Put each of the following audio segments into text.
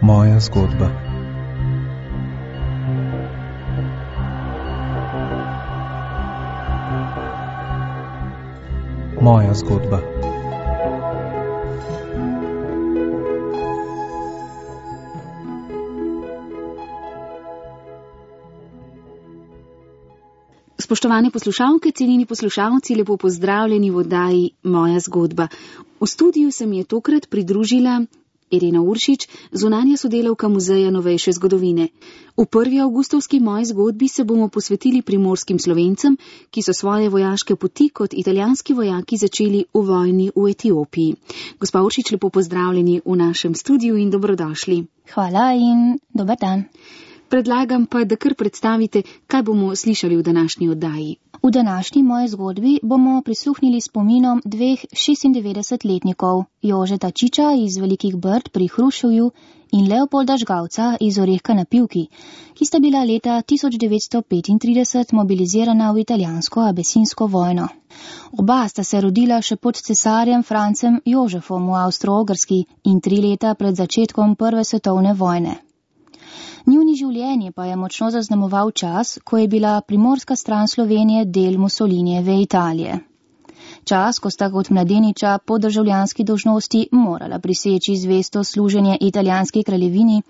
Moja zgodba. Moja zgodba. Spoštovane poslušalke, cenjeni poslušalci, lepo pozdravljeni v oddaji Moja zgodba. V studiu se mi je tokrat pridružila Irena Uršič, zunanja sodelavka Muzeja novejše zgodovine. V 1. avgustovski Moji zgodbi se bomo posvetili primorskim Slovencem, ki so svoje vojaške poti kot italijanski vojaki začeli v vojni v Etiopiji. Gospa Uršič, lepo pozdravljeni v našem studiu in dobrodošli. Hvala in dober dan. Predlagam pa, da kar predstavite, kaj bomo slišali v današnji oddaji. V današnji Moji zgodbi bomo prisluhnili spominom dveh 96-letnikov, Jožeta Čiča iz Velikih Brd pri Hruševju in Leopolda Žgavca iz Orehka na Pivki, ki sta bila leta 1935 mobilizirana v italijansko-abesinsko vojno. Oba sta se rodila še pod cesarjem Francem Jožefom v Avstro-Ogrski in 3 leta pred začetkom Prve svetovne vojne. Njuni življenje pa je močno zaznamoval čas, ko je bila primorska stran Slovenije del Mussolinijeve Italije. Čas, ko sta kot mladeniča po državljanski dolžnosti morala priseči zvesto služenje italijanski kraljevini,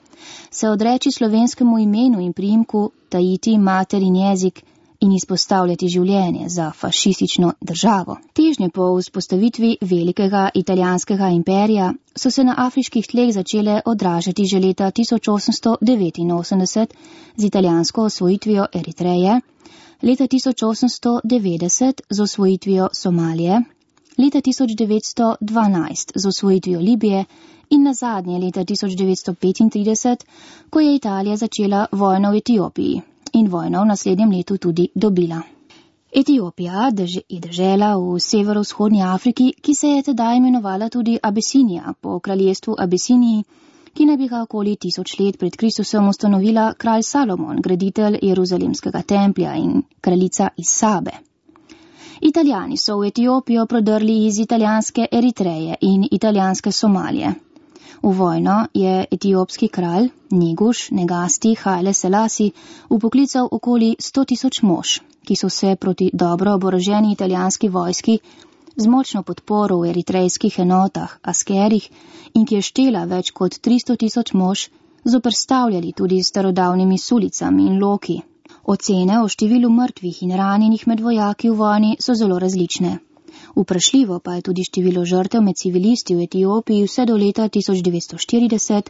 se odreči slovenskemu imenu in priimku, tajiti mater in jezik in izpostavljati življenje za fašistično državo. Težnje po vzpostavitvi velikega italijanskega imperija so se na afriških tleh začele odražati že leta 1889 z italijansko osvojitvijo Eritreje, leta 1890 z osvojitvijo Somalije, leta 1912 z osvojitvijo Libije in nazadnje leta 1935, ko je Italija začela vojno v Etiopiji in vojno v naslednjem letu tudi dobila. Etiopija je dežela v severovzhodni Afriki, ki se je tedaj imenovala tudi Abesinija, po kraljestvu Abesiniji, ki naj bi ga okoli 1000 let pred Kristusom ustanovila kralj Salomon, graditelj Jeruzalemskega templja in kraljica iz Sabe. Italijani so v Etiopijo prodrli iz italijanske Eritreje in italijanske Somalije. V vojno je etiopski kralj Neguš Negasti Haile Selasi upoklical okoli 100.000 mož, ki so se proti dobro oboroženi italijanski vojski z močno podporo v eritrejskih enotah, askerih in ki je štela več kot 300.000 mož, zoperstavljali tudi starodavnimi sulicami in loki. Ocene o številu mrtvih in ranjenih med vojaki v vojni so zelo različne. Vprašljivo pa je tudi število žrtev med civilisti v Etiopiji vse do leta 1940,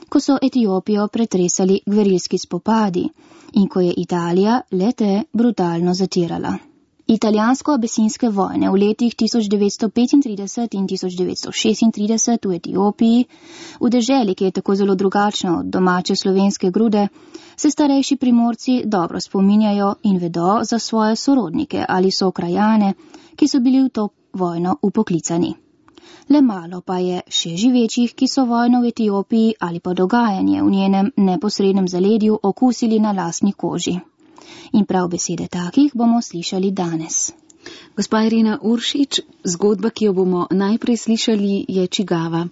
ko so Etiopijo pretresali gverilski spopadi in ko je Italija le-te brutalno zatirala. Italijansko-abesinske vojne v letih 1935 in 1936 v Etiopiji, v deželi, ki je tako zelo drugačna od domače slovenske grude, se starejši Primorci dobro spominjajo in vedo za svoje sorodnike ali sokrajane, ki so bili v to vojno upoklicani. Le malo pa je še živečih, ki so vojno v Etiopiji ali pa dogajanje v njenem neposrednem zaledju okusili na lastni koži. In prav besede takih bomo slišali danes. Gospa Irena Uršič, zgodba, ki jo bomo najprej slišali, je čigava?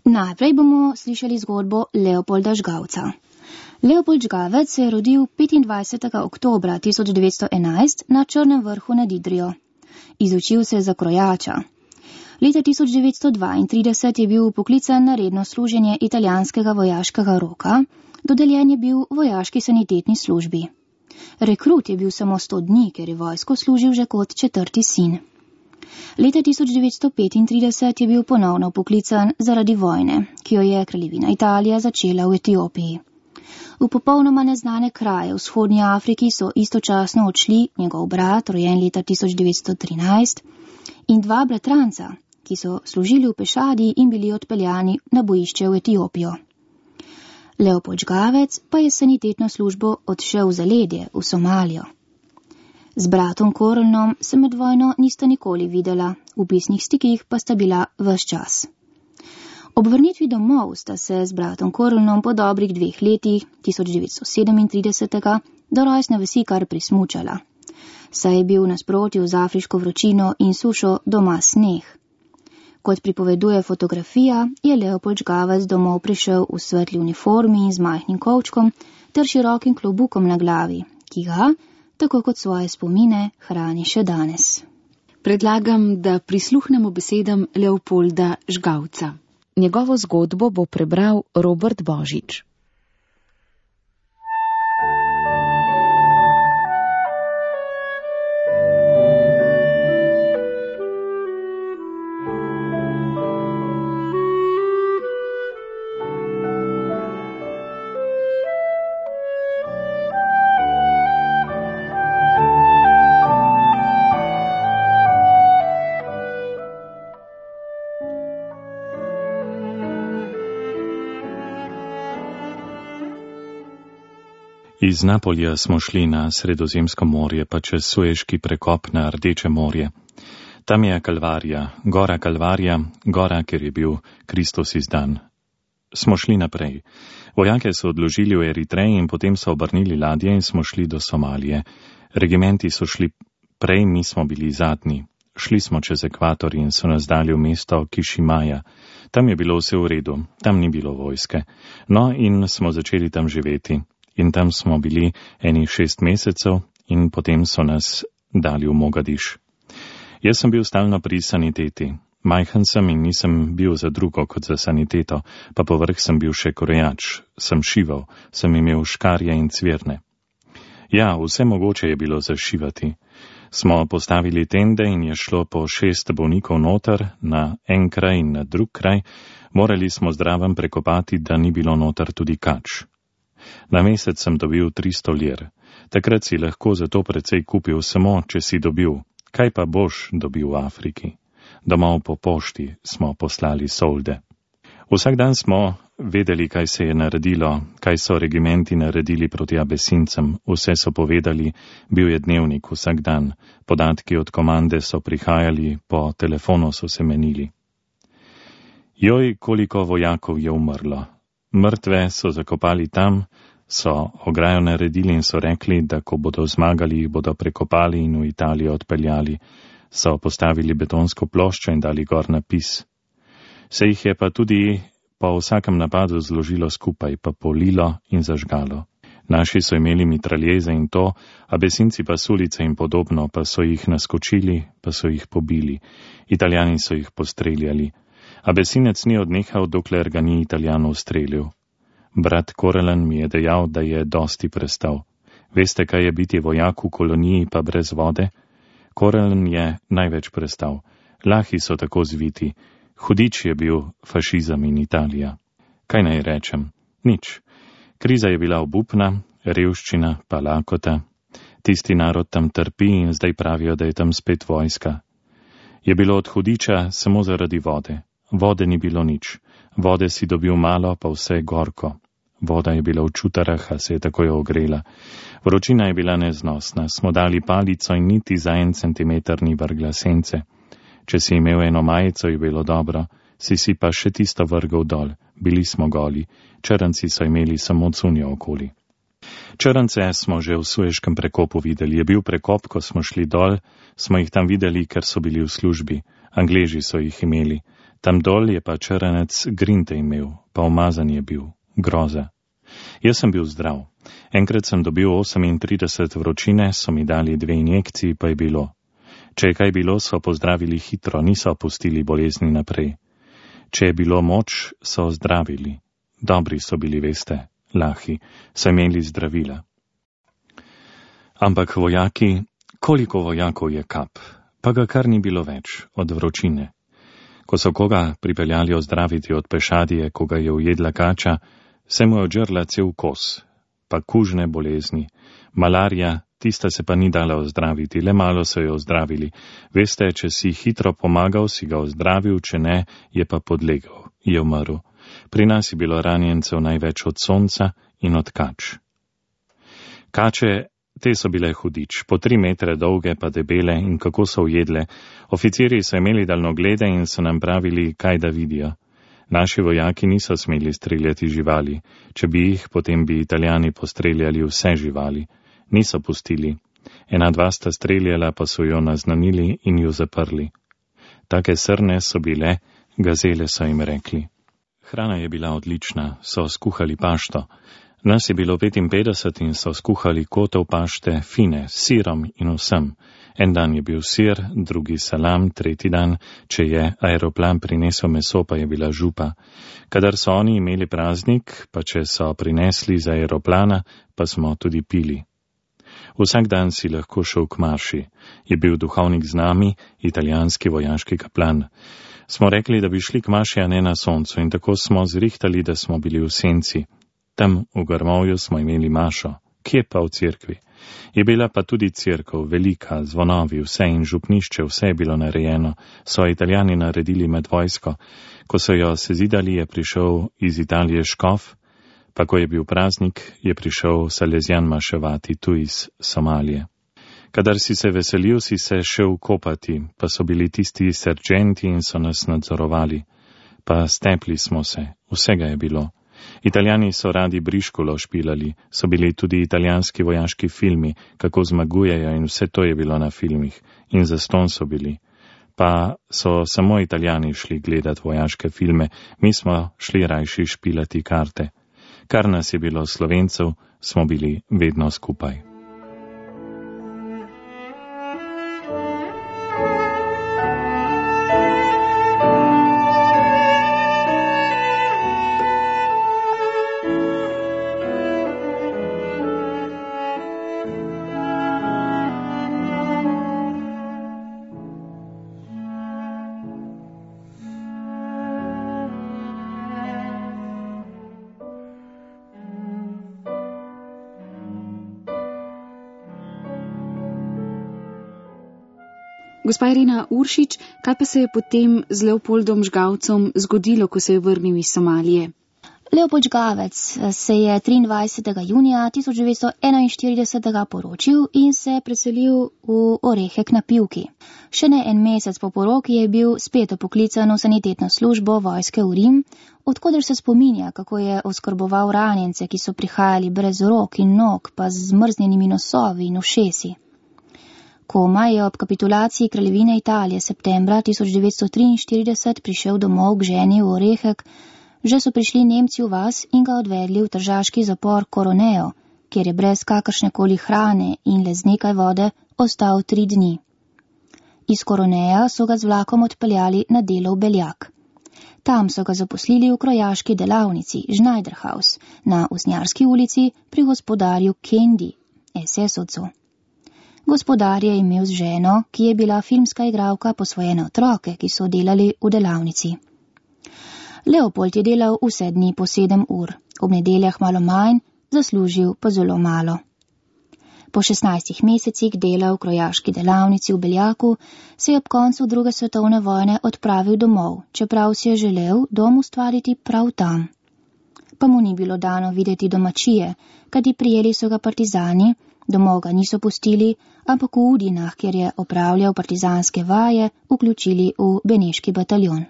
Najprej bomo slišali zgodbo Leopolda Žgavca. Leopold Žgavec se je rodil 25. oktobra 1911 na Črnem vrhu nad Idrijo. Izučil se je za krojača. Leta 1932 je bil poklican na redno služenje italijanskega vojaškega roka, dodeljen je bil vojaški sanitetni službi. Rekrut je bil samo 100 dni, ker je vojsko služil že kot 4. sin. Leta 1935 je bil ponovno poklican zaradi vojne, ki jo je kraljevina Italija začela v Etiopiji. V popolnoma neznane kraje v vzhodnji Afriki so istočasno odšli njegov brat, rojen leta 1913, in 2 bratranca, ki so služili v pešadi in bili odpeljani na bojišče v Etiopijo. Leopold Žgavec pa je sanitetno službo odšel v zaledje, v Somalijo. Z bratom Korlnom se med vojno nista nikoli videla, v pisnih stikih pa sta bila ves čas. Ob vrnitvi domov sta se z bratom Korlnom po dobrih 2 letih, 1937, do rojstne vasi kar prismučala. Saj je bil nasprotju z afriško vročino in sušo doma sneh. Kot pripoveduje fotografija, je Leopold Žgavac domov prišel v svetli uniformi in z majhnim kovčkom ter širokim klobukom na glavi, ki ga, tako kot svoje spomine, hrani še danes. Predlagam, da prisluhnemo besedam Leopolda Žgavca. Njegovo zgodbo bo prebral Robert Božič. Iz Napolja smo šli na Sredozemsko morje, pa čez Sueški prekop na Rdeče morje. Tam je Kalvarija, gora, kjer je bil Kristus izdan. Smo šli naprej. Vojake so odložili v Eritreji in potem so obrnili ladje in smo šli do Somalije. Regimenti so šli prej, mi smo bili zadnji. Šli smo čez ekvator in so nas dali v mesto Kišimaja. Tam je bilo vse v redu, tam ni bilo vojske. No in smo začeli tam živeti. In tam smo bili 6 mesecev in potem so nas dali v Mogadiš. Jaz sem bil stalno pri saniteti. Majhen sem in nisem bil za drugo kot za saniteto, pa povrh sem bil še krojač, sem šival, sem imel škarje in cvirne. Ja, vse mogoče je bilo zašivati. Smo postavili tende in je šlo po 6 bolnikov noter na en kraj in na drug kraj. Morali smo zraven prekopati, da ni bilo noter tudi kač. Na mesec sem dobil 300 lir. Takrat si lahko za to precej kupil samo, če si dobil. Kaj pa boš dobil v Afriki? Domov po pošti smo poslali solde. Vsak dan smo vedeli, kaj se je naredilo, kaj so regimenti naredili proti Abesincem. Vse so povedali, bil je dnevnik vsak dan. Podatki od komande so prihajali, po telefonu so se menili. Joj, koliko vojakov je umrlo. Mrtve so zakopali tam, so ograjo naredili in so rekli, da ko bodo zmagali, jih bodo prekopali in v Italijo odpeljali. So postavili betonsko ploščo in dali gor napis. Se jih je pa tudi po vsakem napadu zložilo skupaj, pa polilo in zažgalo. Naši so imeli mitraljeze in to, Abesinci pa sulice in podobno, pa so jih naskočili, pa so jih pobili. Italijani so jih postreljali. Abesinec ni odnehal, dokler ga ni Italijan ustrelil. Brat Korelen mi je dejal, da je dosti prestal. Veste, kaj je biti vojak v koloniji pa brez vode? Korelen je največ prestal. Lahi so tako zviti. Hudič je bil fašizem in Italija. Kaj naj rečem? Nič. Kriza je bila obupna, revščina pa lakota. Tisti narod tam trpi in zdaj pravijo, da je tam spet vojska. Je bilo od hudiča samo zaradi vode. Vode ni bilo nič. Vode si dobil malo, pa vse gorko. Voda je bila v čutarah, a se je takoj ogrela. Vročina je bila neznosna. Smo dali palico in niti za 1 centimeter ni vrgla sence. Če si imel eno majico, je bilo dobro. Si pa še tisto vrgal dol. Bili smo goli. Črnci so imeli samo cunjo okoli. Črnce smo že v Sueškem prekopu videli. Je bil prekop, ko smo šli dol, smo jih tam videli, ker so bili v službi. Angleži so jih imeli. Tam dol je pa črnec grinte imel, pa umazan je bil. Groza. Jaz sem bil zdrav. Enkrat sem dobil 38 vročine, so mi dali 2 injekciji, pa je bilo. Če je kaj bilo, so pozdravili hitro, niso pustili bolezni naprej. Če je bilo moč, so zdravili. Dobri so bili, veste, lahi, so imeli zdravila. Ampak vojaki, koliko vojakov je kap, pa ga kar ni bilo več od vročine. Ko so koga pripeljali ozdraviti od pešadije, ko ga je ujedla kača, se mu je odžrla cel kos, pa kužne bolezni. Malarija, tista se pa ni dala ozdraviti, le malo so jo ozdravili. Veste, če si hitro pomagal, si ga ozdravil, če ne, je pa podlegel, je umrl. Pri nas je bilo ranjencev največ od sonca in od kač. Kače, te so bile hudič, po 3 metre dolge pa debele in kako so ujedle. Oficiri so imeli daljnoglede in so nam pravili, kaj da vidijo. Naši vojaki niso smeli streljati živali. Če bi jih, potem bi Italijani postreljali vse živali. Niso pustili. 1-2 sta streljala, pa so jo naznanili in jo zaprli. Take srne so bile, Gazele so jim rekli. Hrana je bila odlična, so skuhali pašto. Nas je bilo 55 in so skuhali kotov pašte, fine, s sirom in vsem. En dan je bil sir, drugi salam, tretji dan, če je aeroplan prinesel meso, pa je bila župa. Kadar so oni imeli praznik, pa če so prinesli z aeroplana, pa smo tudi pili. Vsak dan si lahko šel k maši. Je bil duhovnik z nami, italijanski vojaški kaplan. Smo rekli, da bi šli k maši, a ne na soncu, in tako smo zrihtali, da smo bili v senci. Tam v grmovju smo imeli mašo, kje pa v cerkvi. Je bila pa tudi cerkev, velika, zvonovi, vse in župnišče, vse je bilo narejeno, so Italijani naredili med vojsko. Ko so jo sezidali, je prišel iz Italije škof, pa ko je bil praznik, je prišel Salezjan maševati tu iz Somalije. Kadar si se veselil, si se šel kopati, pa so bili tisti serženti in so nas nadzorovali. Pa stepli smo se, vsega je bilo. Italijani so radi briškulo špilali, so bili tudi italijanski vojaški filmi, kako zmagujejo in vse to je bilo na filmih. In zastonj so bili. Pa so samo Italijani šli gledat vojaške filme, mi smo šli rajši špilati karte. Kar nas je bilo Slovencev, smo bili vedno skupaj. Gospa Irena Uršič, kaj pa se je potem z Leopoldom Žgavcem zgodilo, ko se je vrnil iz Somalije? Leopold Žgavec se je 23. junija 1941 poročil in se preselil v Orehek na Pivki. Še ne en mesec po poroki je bil spet poklican v sanitetno službo vojske v Rim, odkoder se spominja, kako je oskrboval ranjence, ki so prihajali brez rok in nog, pa z zmrznjenimi nosovi in ušesi. Komaj je ob kapitulaciji kraljevine Italije septembra 1943 prišel domov k ženi v Orehek, že so prišli Nemci v vas in ga odvedli v tržaški zapor Coroneo, kjer je brez kakršnekoli hrane in le z nekaj vode ostal 3 dni. Iz Coronea so ga z vlakom odpeljali na delo v Beljak. Tam so ga zaposlili v krojaški delavnici Schneiderhaus na Usnjarski ulici pri gospodarju Kendi, SS-ovcu. Gospodar je imel z ženo, ki je bila filmska igralka, posvojene otroke, ki so delali v delavnici. Leopold je delal vse dni po 7 ur, ob nedeljah malo manj, zaslužil pa zelo malo. Po 16 mesecih dela v krojaški delavnici v Beljaku se je ob koncu 2. svetovne vojne odpravil domov, čeprav si je želel dom ustvariti prav tam. Pa mu ni bilo dano videti domačije, kajti prijeli so ga partizani, domov ga niso pustili, ampak v Udinah, kjer je opravljal partizanske vaje, vključili v beneški bataljon.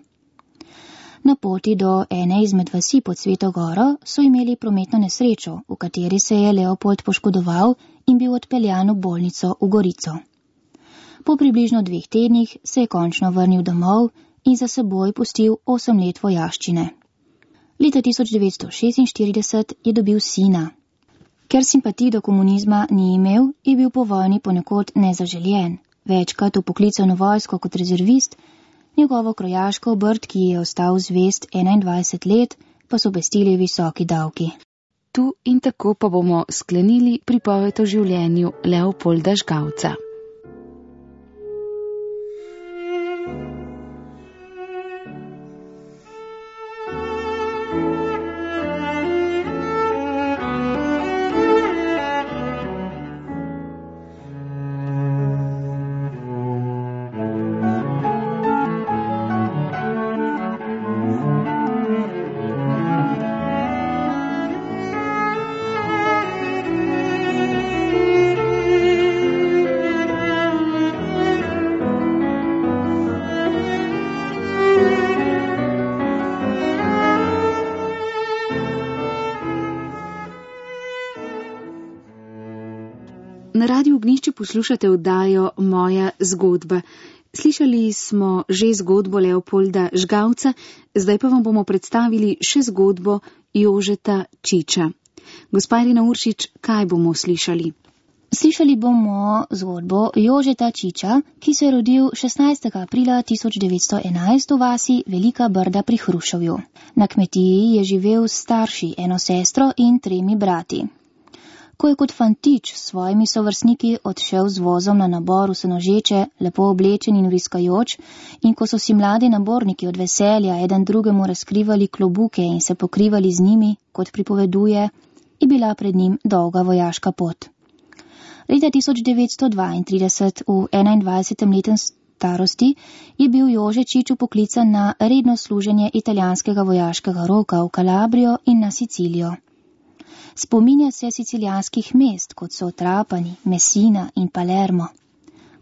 Na poti do ene izmed vasi pod Sveto Goro so imeli prometno nesrečo, v kateri se je Leopold poškodoval in bil odpeljan v bolnico v Gorico. Po približno 2 tednih se je končno vrnil domov in za seboj pustil 8 let vojaščine. Leta 1946 je dobil sina. Ker simpatij do komunizma ni imel, je bil po vojni ponekod nezaželjen. Večkrat vpoklican v vojsko kot rezervist, njegovo krojaško obrt, ki je ostal zvest 21 let, pa so pestili visoki davki. Tu in tako pa bomo sklenili pripoved o življenju Leopolda Žgavca. Na Radiu Ognjišče poslušate oddajo Moja zgodba. Slišali smo že zgodbo Leopolda Žgavca, zdaj pa vam bomo predstavili še zgodbo Jožeta Čiča. Gospa Irena Uršič, kaj bomo slišali? Slišali bomo zgodbo Jožeta Čiča, ki se je rodil 16. aprila 1911 v vasi Velika Brda pri Hruševju. Na kmetiji je živel s starši, eno sestro in 3 brati. Ko je kot fantič s svojimi sovrstniki odšel z vozom na nabor v Senožeče, lepo oblečen in vriskajoč, in ko so si mladi naborniki od veselja eden drugemu razkrivali klobuke in se pokrivali z njimi, kot pripoveduje, je bila pred njim dolga vojaška pot. Leta 1932, v 21. letu starosti, je bil Jože Čič poklican na redno služenje italijanskega vojaškega roka v Kalabrijo in na Sicilijo. Spominja se sicilijanskih mest, kot so Trapani, Messina in Palermo.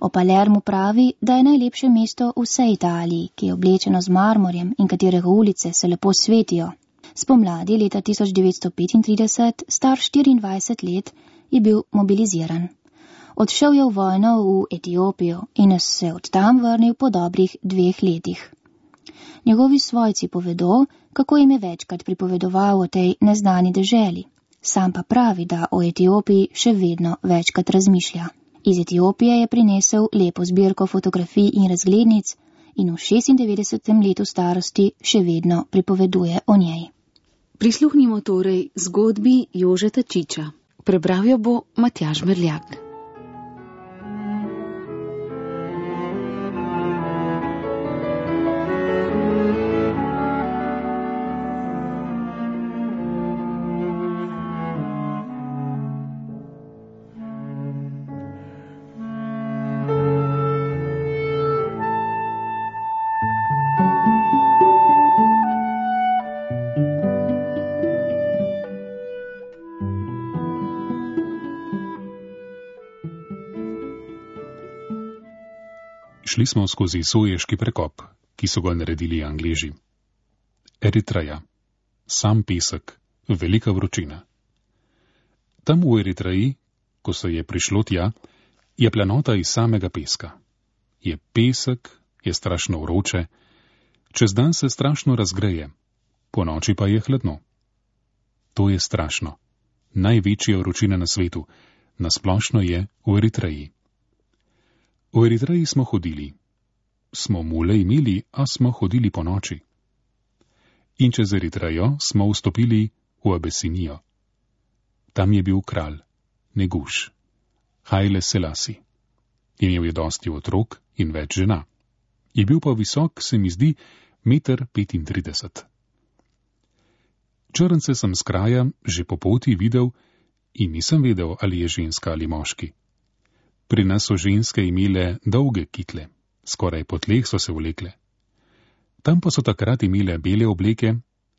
O Palermu pravi, da je najlepše mesto v vsej Italiji, ki je oblečeno z marmorjem in katerega ulice se lepo svetijo. Spomladi leta 1935, star 24 let, je bil mobiliziran. Odšel je v vojno v Etiopijo in se od tam vrnil po dobrih 2 letih. Njegovi svojci povedo, kako jim je večkrat pripovedoval o tej neznani deželi. Sam pa pravi, da o Etiopiji še vedno večkrat razmišlja. Iz Etiopije je prinesel lepo zbirko fotografij in razglednic in v 96. letu starosti še vedno pripoveduje o njej. Prisluhnimo torej zgodbi Jožeta Čiča. Prebral jo bo Matjaž Merljak. Šli smo skozi Soješki prekop, ki so ga naredili Angleži. Eritreja. Sam pesek, velika vročina. Tam v Eritreji, ko se je prišlo tja, je planota iz samega peska. Je pesek, je strašno vroče, čez dan se strašno razgreje, po noči pa je hladno. To je strašno. Največja vročina na svetu, nasplošno je v Eritreji. V Eritreji smo hodili. Smo mule imeli, a smo hodili po noči. In čez Eritrejo smo vstopili v Abesinijo. Tam je bil kralj, Neguš, Haile Selasi. Imel je dosti otrok in več žena. Je bil pa visok, se mi zdi, 1,35 m. Črnce sem z kraja že po poti videl in nisem vedel, ali je ženska ali moški. Pri nas so ženske imele dolge kitle, skoraj po tleh so se vlekle. Tam pa so takrat imele bele obleke,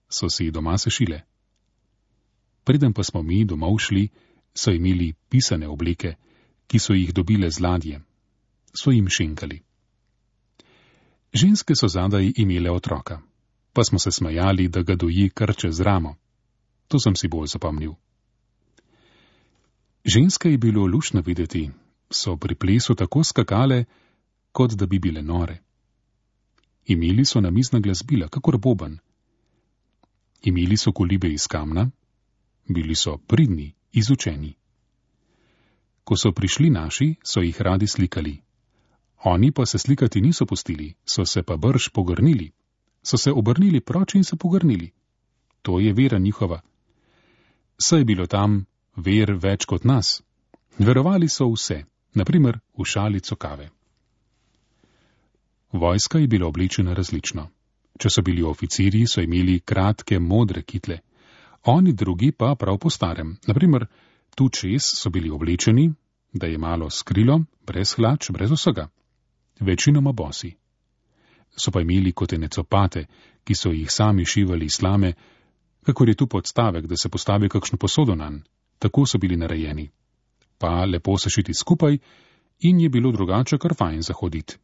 so si doma sešile. Preden pa smo mi domov šli, so imeli pisane obleke, ki so jih dobile z ladje. So jim šenkali. Ženske so zadaj imele otroka, pa smo se smejali, da ga doji kar čez ramo. To sem si bolj zapomnil. Ženske je bilo luštno videti, so pri plesu tako skakale, kot da bi bile nore. Imeli so namizna glasbila, kakor boben. Imeli so kolibe iz kamna, bili so pridni, izučeni. Ko so prišli naši, so jih radi slikali. Oni pa se slikati niso pustili, so se pa brž pogrnili. So se obrnili proč in se pogrnili. To je vera njihova. Saj je bilo tam ver več kot nas. Verovali so vse, naprimer v šalico kave. Vojska je bila oblečena različno. Če so bili oficirji, so imeli kratke modre kitle. Oni drugi pa prav po starem. Naprimer, tu čez so bili oblečeni, da je malo skrilo, brez hlač, brez vsega. Večinoma bosi. So pa imeli kotene copate, ki so jih sami šivali iz slame, kakor je tu podstavek, da se postavi kakšno posodo nanj. Tako so bili narejeni. Pa lepo sešiti skupaj in je bilo drugače kar fajn zahoditi.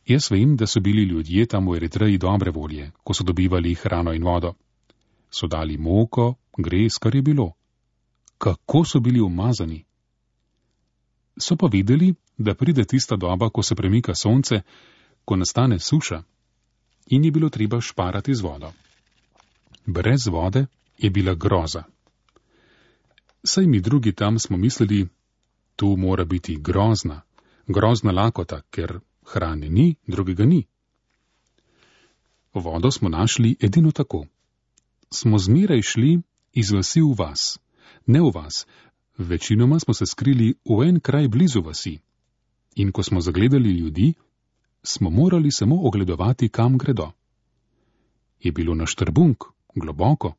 Jaz vem, da so bili ljudje tam v Eritreji dobre volje, ko so dobivali hrano in vodo. So dali moko, gres, kar je bilo. Kako so bili umazani? So pa videli, da pride tista doba, ko se premika sonce, ko nastane suša in je bilo treba šparati z vodo. Brez vode je bila groza. Saj mi drugi tam smo mislili, tu mora biti grozna lakota, ker hrane ni, drugega ni. Vodo smo našli edino tako. Smo zmeraj šli iz vasi v vas, ne v vas, večinoma smo se skrili v en kraj blizu vasi. In ko smo zagledali ljudi, smo morali samo ogledovati, kam gredo. Je bilo na štrbunk, globoko,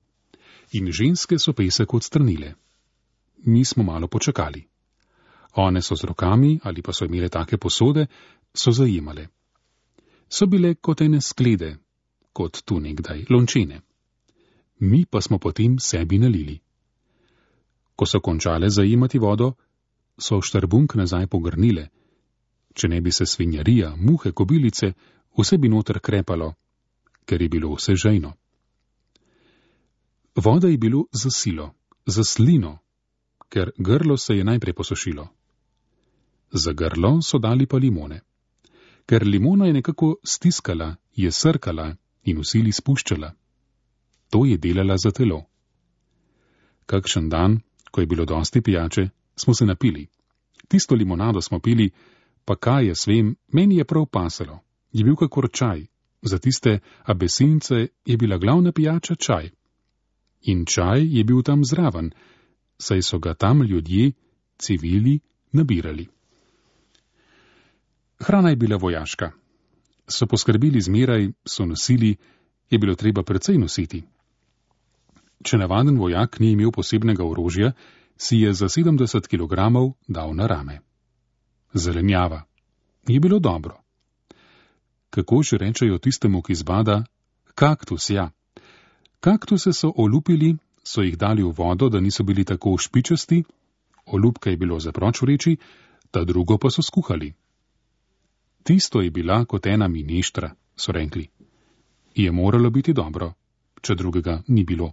in ženske so pesek odstranile. Mi smo malo počakali. One so z rokami, ali pa so imele take posode, so zajemale. So bile kot ene sklede, kot tu nekdaj lončene. Mi pa smo potem sebi nalili. Ko so končale zajemati vodo, so štrbunk nazaj pogrnile. Če ne bi se svinjarija, muhe, kobilice, vse bi noter krepalo, ker je bilo vse žejno. Voda je bilo za silo, za slino, ker grlo se je najprej posušilo. Za grlo so dali pa limone. Ker limona je nekako stiskala, je srkala in v sili spuščala. To je delala za telo. Kakšen dan, ko je bilo dosti pijače, smo se napili. Tisto limonado smo pili, pa kaj jaz vem, meni je prav pasalo. Je bil kakor čaj. Za tiste abesince je bila glavna pijača čaj. In čaj je bil tam zraven, saj so ga tam ljudje, civili, nabirali. Hrana je bila vojaška. So poskrbeli zmeraj, so nosili, je bilo treba precej nositi. Če navaden vojak ni imel posebnega orožja, si je za 70 kg dal na rame. Zelenjava. Je bilo dobro. Kako že rečejo tistemu, ki zbada, kaktus, ja. Kaktuse so olupili, so jih dali v vodo, da niso bili tako špičasti, olupka je bilo za proč vreči, ta drugo pa so skuhali. Tisto je bila kot ena mineštra, so rekli. Je moralo biti dobro, če drugega ni bilo.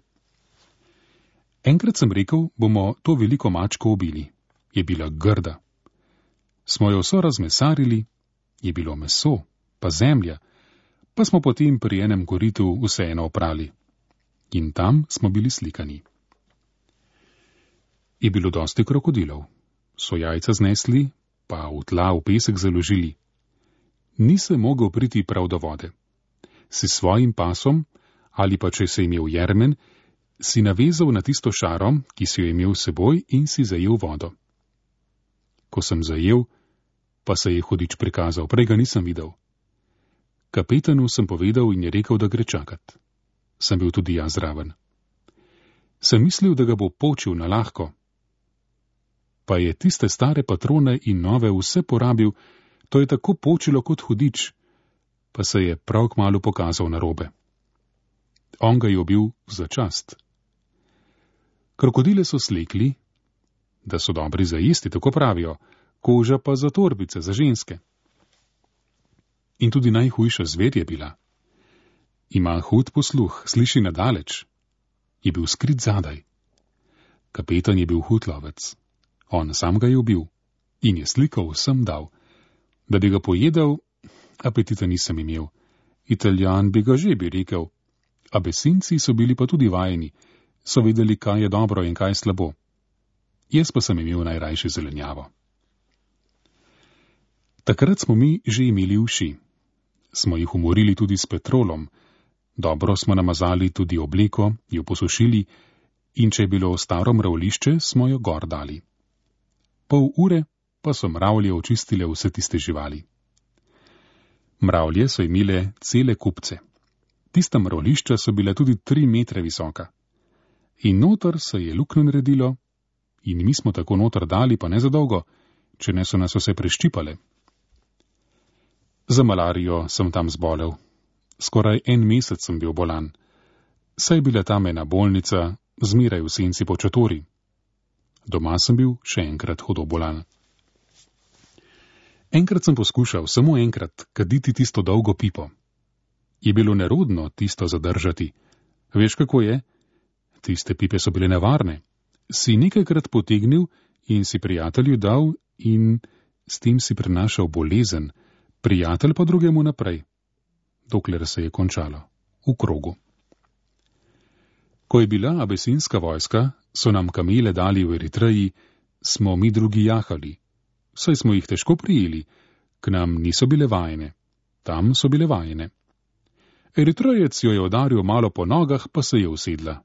Enkrat sem rekel, bomo to veliko mačko ubili. Je bila grda. Smo jo vso razmesarili, je bilo meso, pa zemlja, pa smo potem pri enem koritu vseeno oprali. In tam smo bili slikani. Je bilo dosti krokodilov. So jajca znesli, pa v tla v pesek založili. Ni se mogel priti prav do vode. Si svojim pasom, ali pa če se imel jermen, si navezal na tisto šaro, ki si jo imel s seboj in si zajel vodo. Ko sem zajel, pa se je hudič prikazal, prej ga nisem videl. Kapetanu sem povedal in je rekel, da gre čakat. Sem bil tudi jaz zraven. Sem mislil, da ga bo počil na lahko. Pa je tiste stare patrone in nove vse porabil, to je tako počilo kot hudič, pa se je prav kmalu pokazal narobe. On ga je ubil za čast. Krokodile so slekli, da so dobri za jesti, tako pravijo, koža pa za torbice, za ženske. In tudi najhujša zver je bila. Ima hud posluh, sliši nadaleč. Je bil skrit zadaj. Kapetan je bil hud lovec. On sam ga je ubil in je sliko vsem dal. Da bi ga pojedel, apetita nisem imel. Italijan bi ga že bi rekel. Abesinci so bili pa tudi vajeni, so vedeli, kaj je dobro in kaj slabo. Jaz pa sem imel najrajše zelenjavo. Takrat smo mi že imeli uši. Smo jih umorili tudi s petrolom. Dobro smo namazali tudi obleko, jo posušili in če je bilo staro mravlišče, smo jo gor dali. Pol ure pa so mravlje očistile vse tiste živali. Mravlje so imele cele kupce. Tista mravlišča so bile tudi 3 metre visoka. In noter se je luknjo naredilo in mi smo tako noter dali, pa ne za dolgo, če ne so nas vse preščipale. Za malarijo sem tam zbolel. Skoraj 1 mesec sem bil bolan. Saj je bila tam ena bolnica, zmeraj v senci po čatori. Doma sem bil še enkrat hudo bolan. Enkrat sem poskušal, samo enkrat, kaditi tisto dolgo pipo. Je bilo nerodno tisto zadržati. Veš, kako je? Tiste pipe so bile nevarne. Si nekajkrat potegnil in si prijatelju dal in s tem si prenašal bolezen, prijatelj pa drugemu naprej, dokler se je končalo, v krogu. Ko je bila abesinska vojska, so nam kamele dali v Eritreji, smo mi drugi jahali. Saj smo jih težko prijeli, k nam niso bile vajene, tam so bile vajene. Eritrejec jo je udaril malo po nogah, pa se je usedla.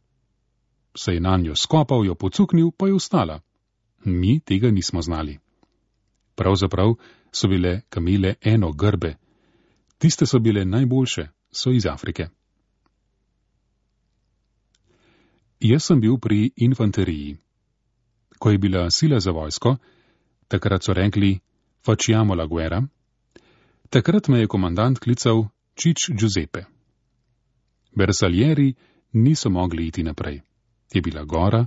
Se je nanjo skopal, jo pocuknil, pa je vstala. Mi tega nismo znali. Pravzaprav so bile kamele eno grbe. Tiste so bile najboljše, so iz Afrike. Jaz sem bil pri infanteriji. Ko je bila sila za vojsko, takrat so rekli facciamo la guerra, takrat me je komandant klical Čič Giuseppe. Bersaglieri niso mogli iti naprej. Je bila gora,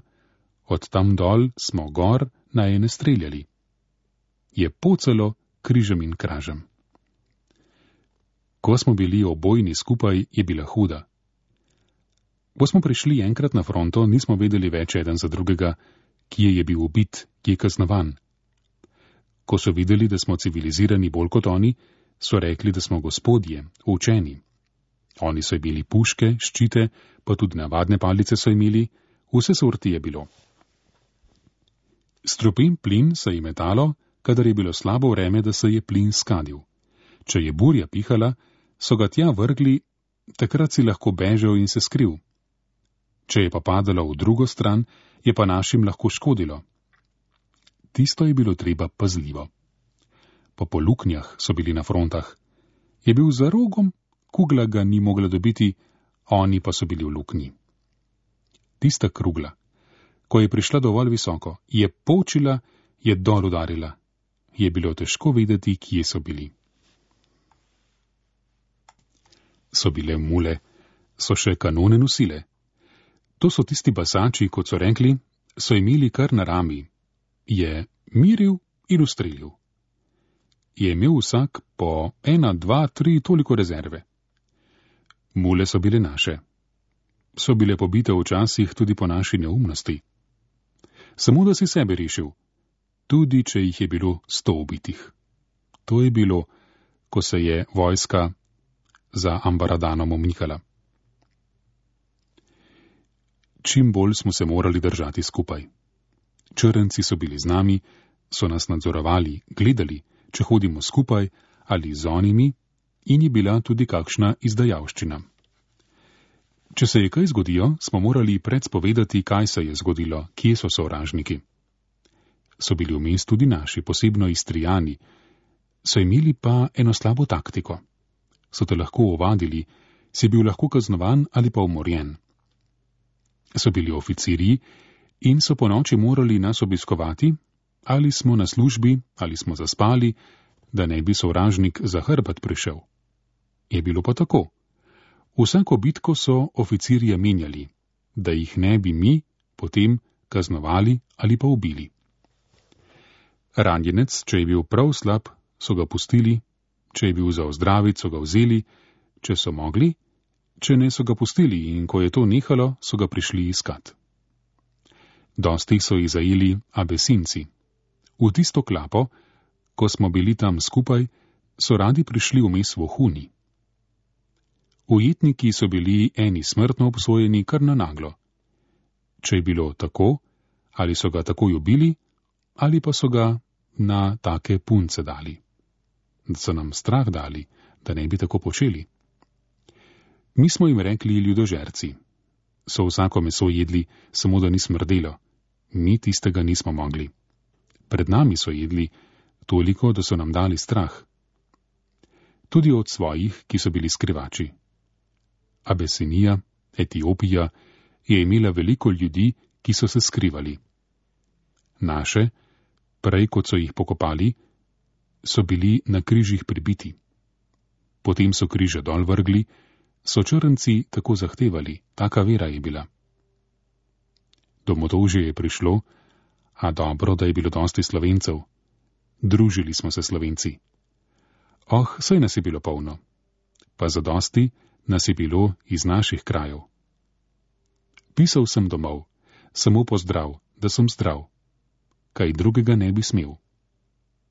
od tam dol smo gor na ene streljali. Je pocalo križem in kražem. Ko smo bili obojni skupaj, je bila huda. Ko smo prišli enkrat na fronto, nismo vedeli več eden za drugega, kje je bil ubit, kje kaznovan. Ko so videli, da smo civilizirani bolj kot oni, so rekli, da smo gospodje, učeni. Oni so imeli puške, ščite, pa tudi navadne palice so imeli, vse sorti je bilo. Strupen plin se je metalo, kadar je bilo slabo vreme, da se je plin skadil. Če je burja pihala, so ga tja vrgli, takrat si lahko bežal in se skril. Če je pa padalo v drugo stran, je pa našim lahko škodilo. Tisto je bilo treba pazljivo. Pa po luknjah so bili na frontah. Je bil za rogom, kugla ga ni mogla dobiti, oni pa so bili v luknji. Tista krugla, ko je prišla dovolj visoko, je počila, je dol udarila. Je bilo težko vedeti, kje so bili. So bile mule, so še kanone nosile. To so tisti basači, kot so rekli, so imeli kar na rami. Je miril in ustrelil. Je imel vsak po 1, 2, 3 toliko rezerve. Mule so bile naše. So bile pobite včasih tudi po naši neumnosti. Samo da si sebe rešil, tudi če jih je bilo 100 ubitih. To je bilo, ko se je vojska za Ambaradanom umikala. Čim bolj smo se morali držati skupaj. Črnci so bili z nami, so nas nadzorovali, gledali, če hodimo skupaj ali z onimi, in je bila tudi kakšna izdajalščina. Če se je kaj zgodijo, smo morali predspovedati, kaj se je zgodilo, kje so sovražniki. So bili vmes tudi naši, posebno Istrijani, so imeli pa eno slabo taktiko. So te lahko ovadili, si bil lahko kaznovan ali pa umorjen. So bili oficirji in so po noči morali nas obiskovati, ali smo na službi, ali smo zaspali, da ne bi sovražnik za hrbet prišel. Je bilo pa tako. Vsako bitko so oficirje menjali, da jih ne bi mi potem kaznovali ali pa ubili. Ranjenec, če je bil prav slab, so ga pustili, če je bil za ozdraviti, so ga vzeli, če so mogli, če ne so ga pustili in ko je to nehalo, so ga prišli iskat. Dosti so jih zajeli abesinci. V tisto klapo, ko smo bili tam skupaj, so radi prišli vmes vohuni. Ujetniki so bili eni smrtno obsojeni kar na naglo. Če je bilo tako, ali so ga takoj ubili, ali pa so ga na take punce dali. Da so nam strah dali, da ne bi tako počeli. Mi smo jim rekli ljudožerci. So vsako meso jedli, samo da ni smrdelo. Mi tistega nismo mogli. Pred nami so jedli, toliko, da so nam dali strah. Tudi od svojih, ki so bili skrivači. Abesinija, Etiopija, je imela veliko ljudi, ki so se skrivali. Naše, prej kot so jih pokopali, so bili na križih pribiti. Potem so križe dol vrgli, so črnci tako zahtevali, taka vera je bila. Do motovže je prišlo, a dobro, da je bilo dosti Slovencev. Družili smo se Slovenci. Oh, saj nas je bilo polno. Pa zadosti nas je bilo iz naših krajev. Pisal sem domov, samo pozdrav, da sem zdrav. Kaj drugega ne bi smel.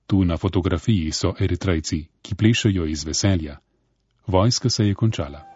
Tu na fotografiji so Eritrejci, ki plešejo iz veselja. Vojska se je končala.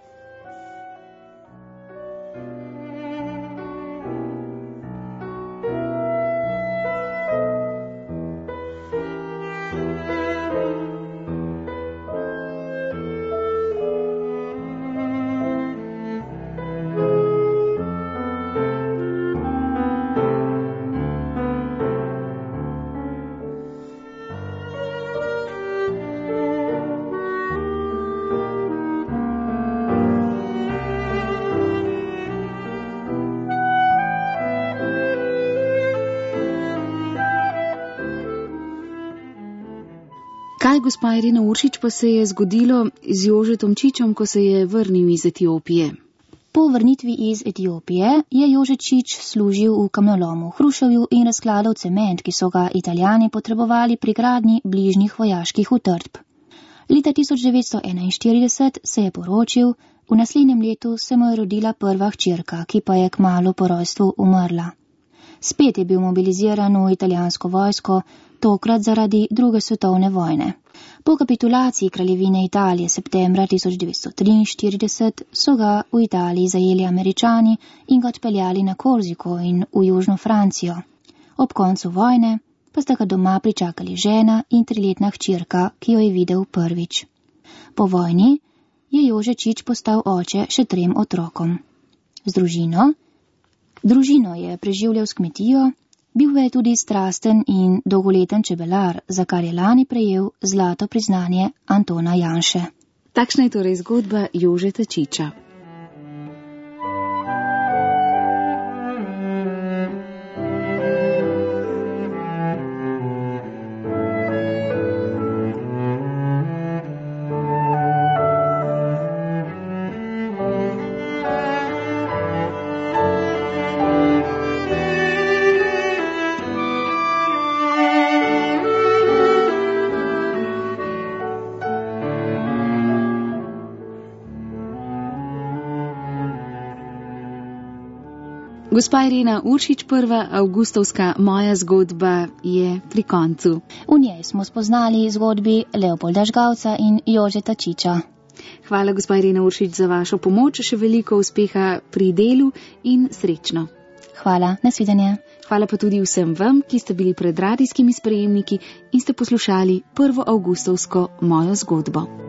Kaj, gospa Irena Uršič, pa se je zgodilo z Jožetom Čičom, ko se je vrnil iz Etiopije? Po vrnitvi iz Etiopije je Jože Čič služil v kamnolomu v Hruševju in razkladal cement, ki so ga Italijani potrebovali pri gradnji bližnjih vojaških utrdb. Leta 1941 se je poročil, v naslednjem letu se mu je rodila prva hčerka, ki pa je kmalu po rojstvu umrla. Spet je bil mobiliziran v italijansko vojsko, tokrat zaradi druge svetovne vojne. Po kapitulaciji kraljevine Italije septembra 1943 so ga v Italiji zajeli Američani in ga odpeljali na Korziko in v južno Francijo. Ob koncu vojne pa sta ga doma pričakali žena in 3-letna hčerka, ki jo je videl prvič. Po vojni je Jože Čič postal oče še 3 otrokom. Družino je preživljal s kmetijo, bil je tudi strasten in dolgoleten čebelar, za kar je lani prejel zlato priznanje Antona Janše. Takšna je torej zgodba Jožeta Čiča. Gospa Irena Uršič, prva avgustovska Moja zgodba je pri koncu. V njej smo spoznali zgodbi Leopolda Žgavca in Jožeta Čiča. Hvala, gospa Irena Uršič, za vašo pomoč, še veliko uspeha pri delu in srečno. Hvala, nasvidenje. Hvala pa tudi vsem vam, ki ste bili pred radijskimi sprejemniki in ste poslušali prvo avgustovsko Mojo zgodbo.